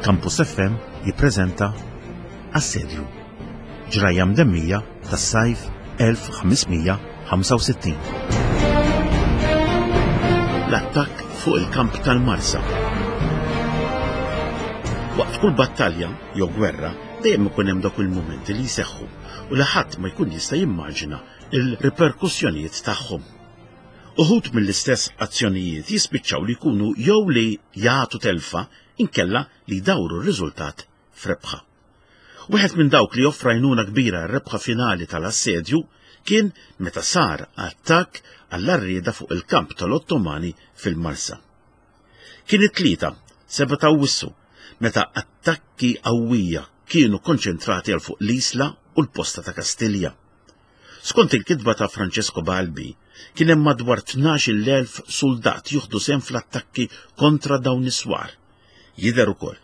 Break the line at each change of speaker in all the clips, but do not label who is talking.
Campus FM jippreżenta Assedju. Ġrajja mdemmija tas-sajf 1565. L-attakk fuq il-kamp tal-Marsa. Waqt kull battalja jew gwerra dejjem ikun hemm dawk il-mumenti li jseħħu u li ħadd ma jkun jista' jimmaġina il-riperkussjonijiet tagħhom. Uħud mill-istess azzjonijiet jispiċċaw li jkunu jew li jagħtu telfa inkella li jdawru r-riżultat f'rebħa. Wieħed minn dawk li offra għajnuna kbira r-rebħa finali tal-assedju kien meta sar attakk għall-għarrieda fuq il-kamp tal-Ottomani fil-Marsa. Kien it-Tlieta, 7 ta' Awwissu, meta attakki qawwija kienu konċentrati għal fuq l-Isla u l-posta ta' Kastilja. Skont il-kitba ta' Francesco Balbi, kien hemm madwar 12,000 suldat jieħdu sehem fl-attakki kontra dawn is-swar. Jidher ukoll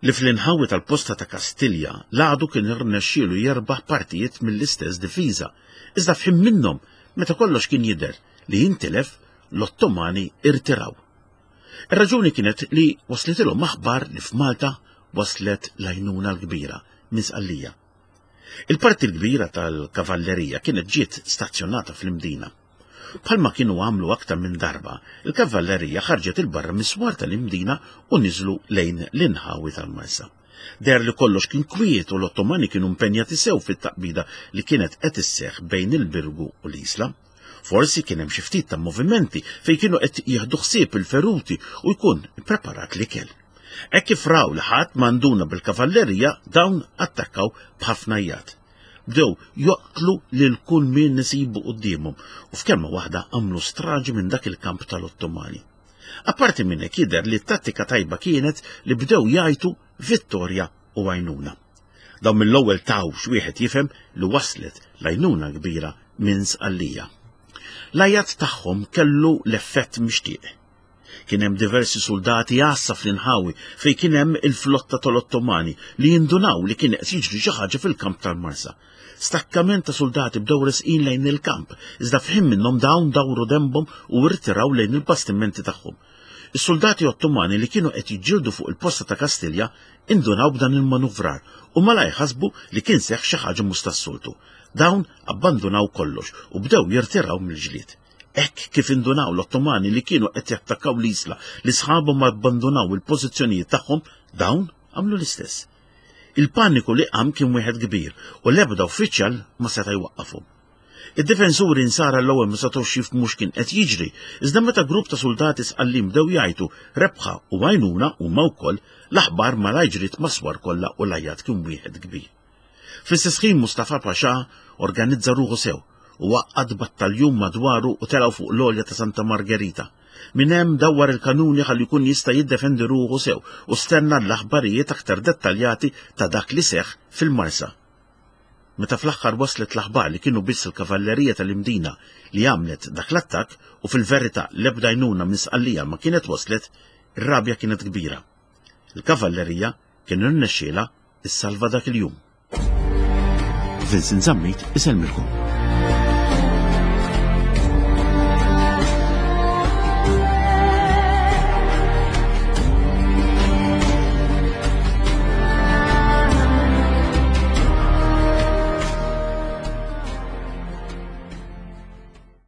li fl-inħawi tal-posta ta' Kastilja l-għadu kien irnexxielu jerbaħ partijiet mill-istess difiża, iżda f'ħin minnhom meta kollox kien jidher li jintilef l-Ottomani irtiraw. Ir-raġuni kienet li waslitilhom aħbar li f'Malta waslet l-għajnuna l-kbira minn Sqallija. Il-parti l-kbira tal-kavallerija kienet ġiet stazzjonata fl-Imdina. Bħalma kienu għamlu aktar minn darba, il-kavallerija ħarġet 'il barra mis-swar tal-Imdina u niżlu lejn l-inħawi tal-Marsa. Deher li kollox kien kwiet u l-Ottomani kienu impenjati sew fit-taqbida li kienet qed isseħħ bejn il-Birgu u l-Isla. Forsi kien hemm xi ftit ta' movimenti fejn kienu qed jieħdu ħsieb il-feruti u jkun ippreparat l-ikel. Hekk kif raw li ħadd ma nduna bil-kavallerija, dawn attakkaw b'ħafna għajjat. Bdew joqtlu lil kull min isibu quddiemhom u f'kelma waħda għamlu straġi minn dak il-kamp tal-Ottomani. Apparti minn hekk jidher li t-tattika tajba kienet li bdew jgħajtu vittorja u għajnuna. Dawn mill-ewwel taw x'wieħed jifhem li waslet l-għajnuna kbira minn Sqallija. L-għajat tagħhom kellu l-effett mixtieq. Kien hemm diversi suldati għassa fl-inħawi fejn kien hemm il-flotta tal-Ottomani li jindunaw li kien qed jiġri xi ħaġa fil-kamp tal-Marsa. Stakkament ta' suldati bdew resqin lejn il-kamp, iżda f'ħin minnhom dawn dawru denbhom u rtiraw lejn il-bastimenti tagħhom. Is-suldati Ottomani li kienu qed jiġġieldu fuq il-posta ta' Kastilja indunaw b'dan il-manuvrar u malajr ħasbu li kien seħħ xi ħaġa mhux tas-soltu. Dawn abbandunaw kollox u bdew jirtiraw mill-ġlied. Hekk kif indunaw l-Ottomani li kienu qed jattakkaw l-Isla li sħabhom abbandunaw il-pożizzjonijiet tagħhom, dawn għamlu l-istess. Il-paniku li qam kien wieħed kbir u l-ebda uffiċjal ma seta' jwaqqafhom. Id-difensuri nsara l-ewwel ma setgħux jifhmu x'kien qed jiġri, iżda meta grupp ta' suldati Sqallin bdew jgħajtu rebħa u għajnuna huma wkoll, l-aħbar malajr ġriet mas-swar kollha u l-għajjat kien wieħed kbir. Fl-istess ħin Mustafa Pasha organizza ruħu sew u għaqqad battaljun madwaru u telgħu fuq l-għolja ta' Santa Margherita. Minn hemm dawwar il-kanuni ħalli jkun jista' jiddefendi ruħu sew u stenna l-aħbarijiet aktar dettaljati ta' dak li seħħ fil-Marsa. Meta fl-aħħar waslet l-aħbar li kienu biss il-kavallerija tal-Imdina li għamlet dak l-attakk u fil-verità l-ebda għajnuna minn Sqallija ma kienet waslet, ir-rabja kienet kbira. Il-kavallerija kien irnexxielha issalva dak il-jum. Vincent Zammit isellmilkom.